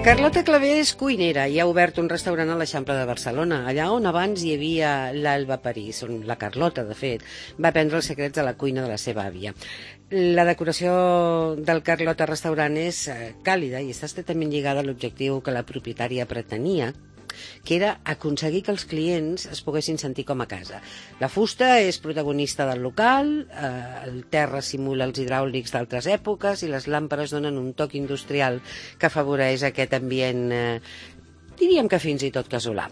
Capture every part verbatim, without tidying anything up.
Carlota Clavé és cuinera i ha obert un restaurant a l'Eixample de Barcelona, allà on abans hi havia l'Alba París, on la Carlota, de fet, va aprendre els secrets de la cuina de la seva àvia. La decoració del Carlota Restaurant és càlida i està estretament lligada a l'objectiu que la propietària pretenia, que era aconseguir que els clients es poguessin sentir com a casa. La fusta és protagonista del local, eh, el terra simula els hidràulics d'altres èpoques i les làmpades donen un toc industrial que afavoreix aquest ambient, eh, diríem que fins i tot casolà.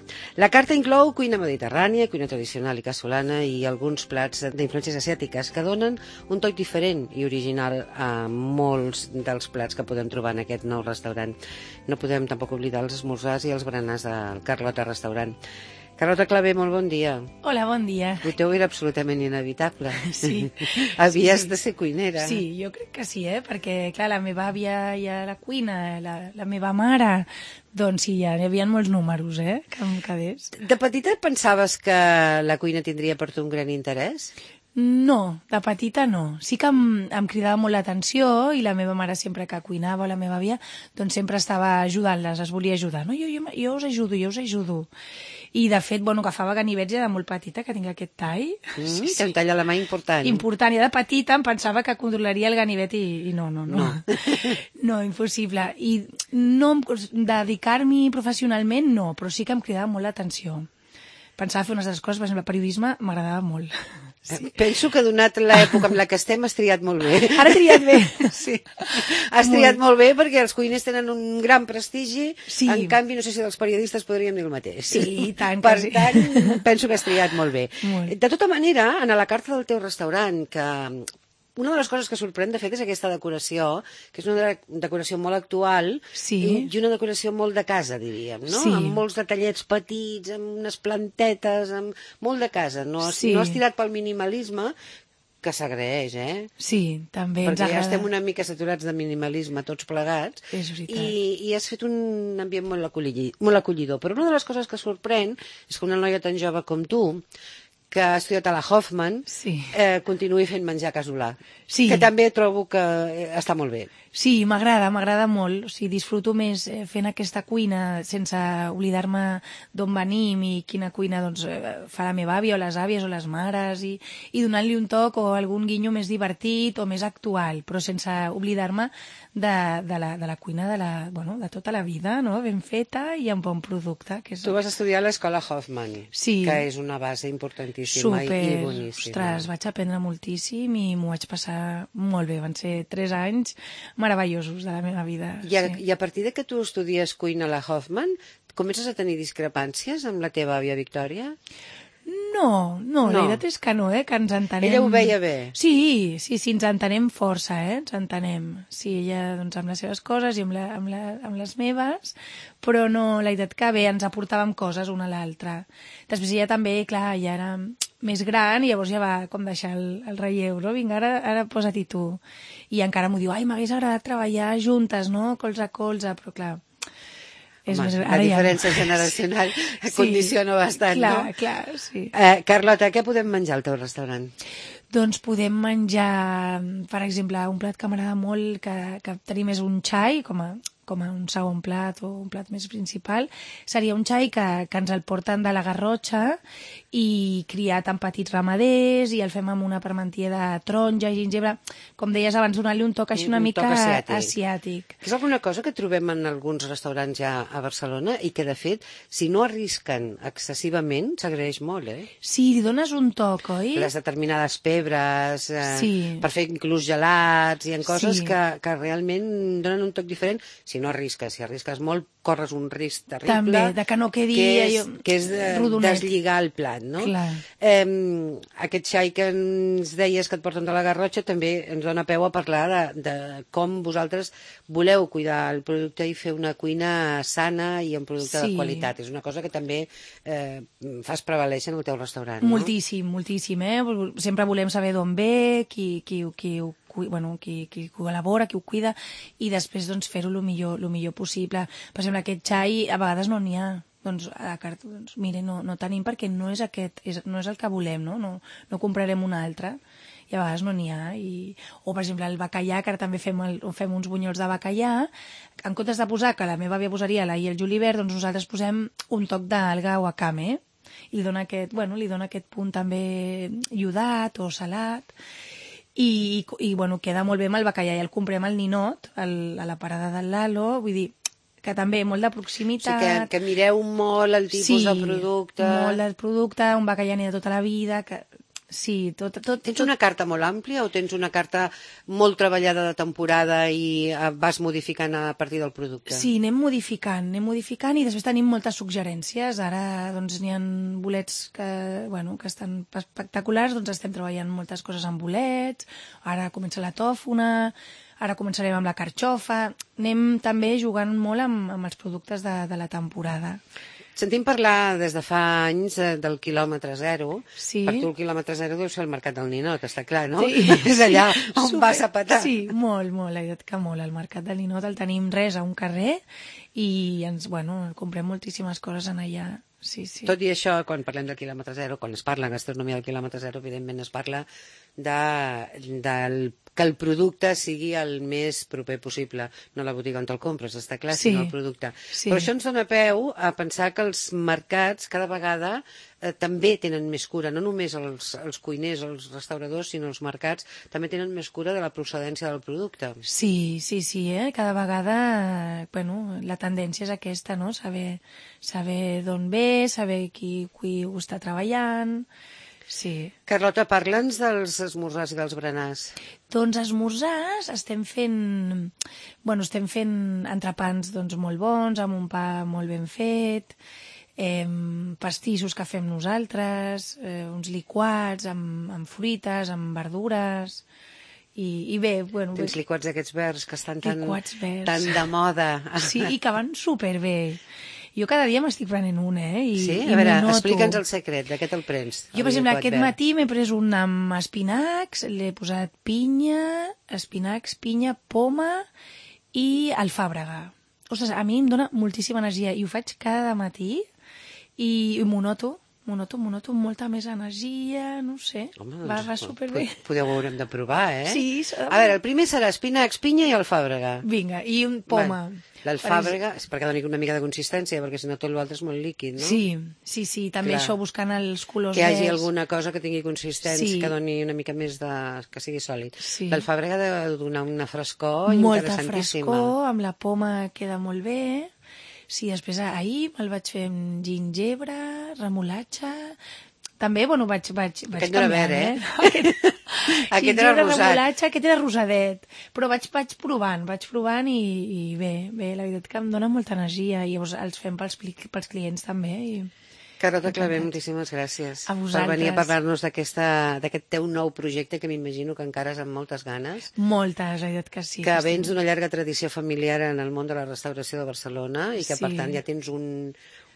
La carta inclou cuina mediterrània, cuina tradicional i casolana i alguns plats d'influències asiàtiques que donen un toc diferent i original a molts dels plats que podem trobar en aquest nou restaurant. No podem tampoc oblidar els esmorzars i els berenars del Carlota Restaurant. Carlota Clavé, molt bon dia. Hola, bon dia. El teu era absolutament inevitable. Sí. Havies sí. de ser cuinera. Sí, jo crec que sí, eh? Perquè, clar, la meva àvia i a la cuina, la, la meva mare, doncs sí, ja hi havia molts números, eh, que em quedés. De petita pensaves que la cuina tindria per tu un gran interès? No, de petita no. Sí que em, em cridava molt l'atenció i la meva mare sempre que cuinava, la meva àvia, doncs sempre estava ajudant-les, es volia ajudar. No, jo, jo, jo us ajudo, jo us ajudo. I, de fet, bueno, agafava ganivets ja de molt petita, que tinc aquest tall. Mm, sí, sí. Un tall a la mà important. Important. I de petita em pensava que controlaria el ganivet i, i no, no, no. No, no impossible. I no, dedicar-m'hi professionalment, no, però sí que em cridava molt l'atenció. Pensava fer unes altres coses, per exemple, el periodisme m'agradava molt. Sí. Penso que donat l'època en la que estem has triat molt bé. Ara he triat bé. Sí. Has triat molt. molt bé perquè els cuiners tenen un gran prestigi, sí. En canvi no sé si els periodistes podríem dir el mateix. Sí, tant. Per sí. tant, penso que has triat molt bé. Molt. De tota manera, en la carta del teu restaurant, que una de les coses que sorprèn, de fet, és aquesta decoració, que és una decoració molt actual, sí. i una decoració molt de casa, diríem, no? Sí. Amb molts detallets petits, amb unes plantetes, amb molt de casa. No has, sí. no has tirat pel minimalisme, que s'agraeix, eh? Sí, també ens agrada. Perquè ja estem una mica saturats de minimalisme, tots plegats, és veritat. i, i has fet un ambient molt acollidor, molt acollidor. Però una de les coses que sorprèn és que una noia tan jove com tu, que ha estudiat a la Hoffman, sí. eh, continuï fent menjar casolà. Sí. Que també trobo que està molt bé. Sí, m'agrada, m'agrada molt. O sigui, disfruto més fent aquesta cuina sense oblidar-me d'on venim i quina cuina doncs, fa la meva àvia o les àvies o les mares i, i donant-li un toc o algun guinyo més divertit o més actual, però sense oblidar-me de, de, la, de la cuina de, la, bueno, de tota la vida, no? Ben feta i amb bon producte. Que és... Tu vas estudiar a l'escola Hoffman, sí. que és una base importantíssima. Super, i boníssima. Ostres, vaig aprendre moltíssim i m'ho vaig passar molt bé. Van ser tres anys meravellosos de la meva vida. I a, sí. I a partir de que tu estudies cuina a la Hoffman, comences a tenir discrepàncies amb la teva àvia Victòria? No, no, no, la veritat és que no, eh, que ens entenem... Ella ho veia bé? Sí, sí, sí, ens entenem força, eh, ens entenem. Sí, ella, doncs, amb les seves coses i amb, la, amb, la, amb les meves, però no, la veritat que bé, ens aportàvem coses una a l'altra. Després ella també, clar, ja era més gran i llavors ja va com deixar el, el relleu, no? Vinga, ara, ara posa-t'hi tu. I encara m'ho diu, ai, m'hagués agradat treballar juntes, no?, colze a colze, però clar... És Home, més... la diferència ja... generacional sí, condiciona bastant, clar, no? Clar, sí. Eh, Carlota, què podem menjar al teu restaurant? Doncs podem menjar, per exemple, un plat que m'agrada molt, que, que tenim és un xai, com a, com a un segon plat o un plat més principal. Seria un xai que, que ens el porten de la Garrotxa i criat amb petits ramaders i el fem amb una parmentier de taronja i gingebre. Com deies abans, donar-li un toc així una un mica asiàtic. asiàtic. És alguna cosa que trobem en alguns restaurants ja a Barcelona i que, de fet, si no arrisquen excessivament, s'agraeix molt, eh? Sí, li dones un toc, oi? Les determinades pebres, eh, sí. per fer inclús gelats, hi ha coses sí. que, que realment donen un toc diferent. Si no arrisques, si arrisques molt, corres un risc terrible. També, de que no quedi que és, allò, que és de, deslligar el plat, no? Clar. Eh, aquest xai que ens deies que et porten de la Garrotxa també ens dona peu a parlar de, de com vosaltres voleu cuidar el producte i fer una cuina sana i amb producte sí. de qualitat. És una cosa que també eh, fas prevalèixer en el teu restaurant, no? Moltíssim, moltíssim, eh? Sempre volem saber d'on ve, qui, qui, qui ho bueno, qui, qui col·labora, qui ho cuida, i després doncs, fer-ho el millor, lo millor possible. Per exemple, aquest xai a vegades no n'hi ha. Doncs, a la carta, doncs, mire, no, no tenim perquè no és aquest, és, no és el que volem, no? No, no comprarem un altre. i a vegades no n'hi ha. I... O, per exemple, el bacallà, que ara també fem, el, fem uns bunyols de bacallà, en comptes de posar, que la meva àvia posaria l'ail i el julivert, doncs nosaltres posem un toc d'alga wakame, i li dona aquest, bueno, li dona aquest punt també iodat o salat, i, i, i bueno, queda molt bé amb el bacallà, i el comprem al ninot, al, a la parada del Lalo, vull dir, que també molt de proximitat. O sigui, que, que mireu molt el tipus sí, de producte. Sí, molt del producte, un bacallà de tota la vida, que sí, tot, tot... Tens una carta molt àmplia o tens una carta molt treballada de temporada i vas modificant a partir del producte? Sí, anem modificant, anem modificant i després tenim moltes suggerències. Ara doncs n'hi ha bolets que, bueno, que estan espectaculars, doncs estem treballant moltes coses amb bolets, ara comença la tòfona, ara començarem amb la carxofa, anem també jugant molt amb, amb els productes de, de la temporada. Sentim parlar des de fa anys del quilòmetre zero. Sí. Per tu el quilòmetre zero deu ser el mercat del Ninot, està clar, no? Sí. És allà on Super. vas a petar. Sí, molt, molt, la veritat que molt. El mercat del Ninot el tenim res a un carrer i ens, bueno, comprem moltíssimes coses en allà. Sí, sí. Tot i això, quan parlem del quilòmetre zero, quan es parla en gastronomia del quilòmetre zero, evidentment es parla de, del que el producte sigui el més proper possible, no la botiga on te'l compres, està clar, sí, sinó el producte. Sí. Però això ens dona peu a pensar que els mercats cada vegada eh, també tenen més cura, no només els, els cuiners, els restauradors, sinó els mercats també tenen més cura de la procedència del producte. Sí, sí, sí, eh? Cada vegada, bueno, la tendència és aquesta, no? Saber, saber d'on ve, saber qui, qui ho està treballant. Sí. Carlota, parla'ns dels esmorzars i dels berenars. Doncs esmorzars estem fent, bueno, estem fent entrepans doncs, molt bons, amb un pa molt ben fet, eh, pastissos que fem nosaltres, eh, uns liquats amb, amb fruites, amb verdures, i, i bé, bueno... Tens liquats d'aquests verds que estan tan, tan de moda. Sí, i que van superbé. Jo cada dia m'estic prenent un, eh? I, sí? I a veure, noto. Explica'ns el secret, de què te'l prens? Jo, per exemple, aquest matí m'he pres un amb espinacs, l'he posat pinya, espinacs, pinya, poma i alfàbrega. Ostres, a mi em dona moltíssima energia i ho faig cada matí i, i m'ho noto. M'ho noto, m'ho noto amb molta més energia, no sé, Home, va, doncs, va superbé. Podeu, ho haurem de provar, eh? Sí. So... A veure, el primer serà espinacs, pinya i alfàbrega. Vinga, i un poma. Bueno, l'alfàbrega, és perquè doni una mica de consistència, perquè si no tot l'altre és molt líquid, no? Sí, sí, sí, també Clar. Això buscant els colors que hi hagi verds. alguna cosa que tingui consistència, sí. que doni una mica més de... que sigui sòlid. Sí. L'alfàbrega ha de donar una frescor Molta interessantíssima. Molta frescor, amb la poma queda molt bé. Sí, després ahir me'l vaig fer amb gingebre, remolatxa... També, bueno, vaig, vaig, vaig aquest no era verd, eh? eh? Aquest, aquest era rosat. Remolatxa, aquest era rosadet. Però vaig, vaig provant, vaig provant i, i bé, bé, la veritat que em dona molta energia i llavors els fem pels, pels clients també. I... Carlota Clavé, moltíssimes gràcies a vosaltres. Per venir a parlar-nos d'aquest teu nou projecte que m'imagino que encara és amb moltes ganes. Moltes, la veritat que sí. Que vens d'una llarga tradició familiar en el món de la restauració de Barcelona i que, sí. per tant, ja tens un,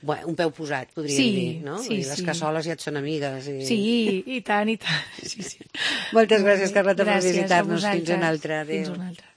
un peu posat, podríem sí, dir, no? Sí, I les sí. cassoles ja et són amigues. I... Sí, i tant, i tant. Sí, sí. Moltes gràcies, Carlota, gràcies per visitar-nos. Fins una altra. Adéu. Fins una altra.